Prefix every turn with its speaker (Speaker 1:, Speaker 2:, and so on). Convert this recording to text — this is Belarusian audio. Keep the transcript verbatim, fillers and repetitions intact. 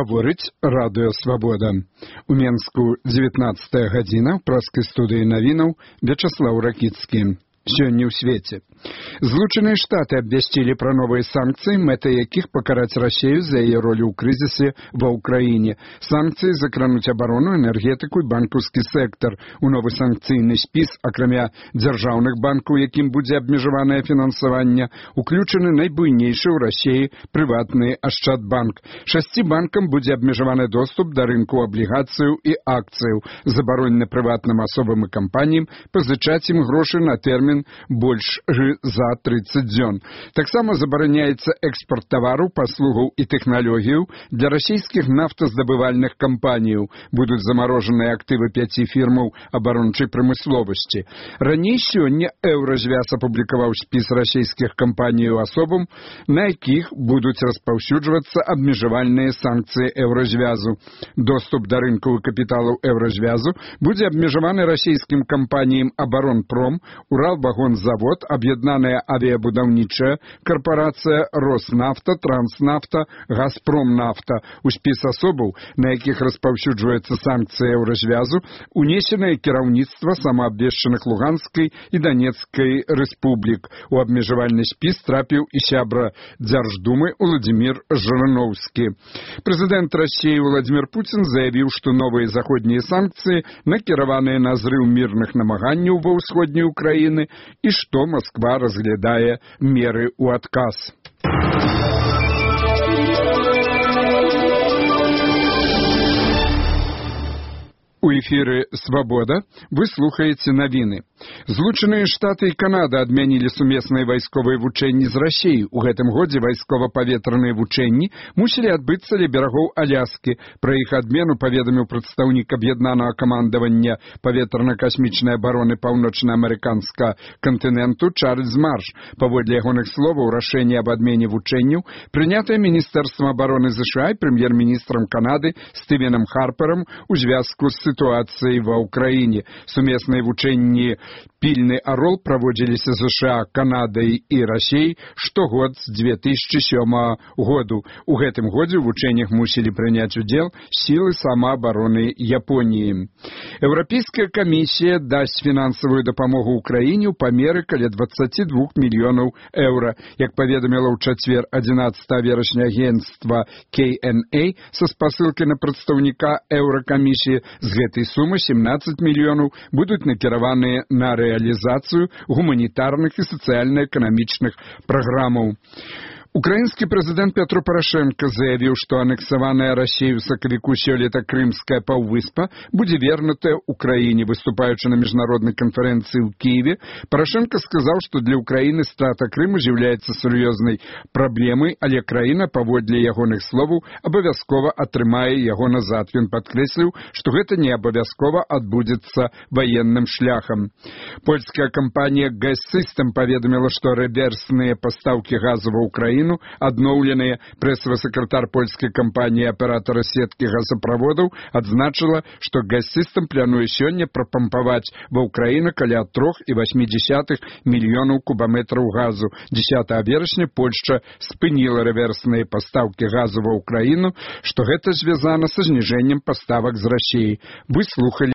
Speaker 1: Гаворыць радыё «Свабода». У Менску дзевятнаццатая гадзіна, ў праскай студыі навінаў Вячаслаў Ракіцкі. Сёння ў свеце. Злучаныя Штаты абвясцілі пра новыя санкцыі, мэта якіх пакараць Расею за яе ролю ў крызісе ва ўкраіне. Санкцыі закрануць абарону, энергетыку і банкаўскі сектар. У новы санкцыйны спіс, акрамя дзяржаўных банкаў, якім будзе абмежаванае фінансаванне, уключаны найбуйнейшы ў Расеі прыватны Ашчадбанк. Шасці банкам будзе абмежаваны доступ да рынку аблігацыяў і акцыяў. Забаронена прыватным асобам і кампаніям пазычаць ім грошы на тэрмін больш за трыццаць дзён. Таксама забараняецца экспорт тавараў, паслугаў і тэхналогіяў для расійскіх нафтаздабывальных кампаніяў. Будуць замарожаныя актывы пяці фірмаў абарончай прамысловасці. Раней сёння Еўразвяз апублікаваў спіс расійскіх кампаніяў асобам, на якіх будуць распаўсюджвацца абмежавальныя санкцыі Еўразвязу. Доступ да рынкаў і капіталаў Еўразвязу будзе абмежаваны расійскім кампаніям Абаронпром, Уралвагонзавод, Аб'яднаная авіябудаўнічая карпарацыя, Роснафта, Транснафта, Газпромнафта. У спіс асобаў, на якіх распаўсюджваецца санкцыя Еўразвязу, унесенае кіраўніцтва самаабвешчаных Луганскай і Донецкай рэспублік. У абмежавальны спіс трапіў і сябра Дзярждумы Уладзімір Жырыноўскі. Прэзідэнт Расіі Владзімір Пуцін заявіў, што новыя заходнія санкцыі накіраваныя на зрыў мірных намаганняў ва ўсходняй Украіны і што Масква разглядае меры ў адказ. У эфіры «Свабода» вы слухаеце навіны. Злучаныя Штаты і Канада адмянілі сумесныя вайсковыя вучэнні з Расіяй. У гэтым годзе вайскова-паветраныя вучэнні мусілі адбыцца ля берагоў Аляскі. Пра іх адмену паведаміў прадстаўнік аб'яднанага камандавання паветрана-касмічнай абароны паўночна-амерыканскага кантыненту Чарльз Марш. Паводле ягоных словаў, рашэнне аб адмене вучэнняў прынятае Міністэрствам абароны ЗША і прэм'ер-міністрам Канады Стывеном Харпером у звязку з сітуацыяй ва ўкраіне. Сумесныя вучэнні «Пільны арол» праводзіліся ЗША, Канадай і Расіяй штогод з дзве тысячы сёмага году. У гэтым годзе ў вучэннях мусілі прыняць удзел сілы самаабароны Японіі. Еўрапейская камісія дасць фінансавую дапамогу ўкраіне ў памеры каля дваццаць два мільёнаў еўра. Як паведаміла ў чацвер адзінаццатага верасня агенцтва кей эн эй са спасылкай на прадстаўніка Еўракамісіі, з гэтай сумы семнаццаць мільёнаў будуць накіраваныя на рэалізацыю гуманітарных і сацыяльна-эканамічных праграмаў. Украінскі прэзідэнт Пятро Парашенка заявіў, што анексаваная Расіяй у сакавіку сёлета Крымская паўвыспа будзе вернутая Украіне. Выступаючы на міжнароднай канферэнцыі ў Кіеве, Парашенка сказаў, што для Украіны страта Крыму з'яўляецца сур'ёзнай праблемай, але краіна, паводле ягоных словаў, абавязкова атрымае яго назад. Ён падкрэсліў, што гэта не абавязкова адбудзецца ваенным шляхам. Польская кампанія «Газсістем» паведаміла, што рэверсныя пастаўкі газу ва Украіну адноўленыя. Прэсавы сакратар польскай кампаніі аператара сеткі газаправодаў адзначыла, што «Газсістем» плануе сёння прапампаваць ва ўкраіну каля трох і васьмі дзесятых мільёнаў кубаметраў газу. дзесятага верасня Польшча спыніла рэверсныя пастаўкі газу ва ўкраіну, што гэта звязана са зніжэннем паставак з Расіяй. Вы слухалі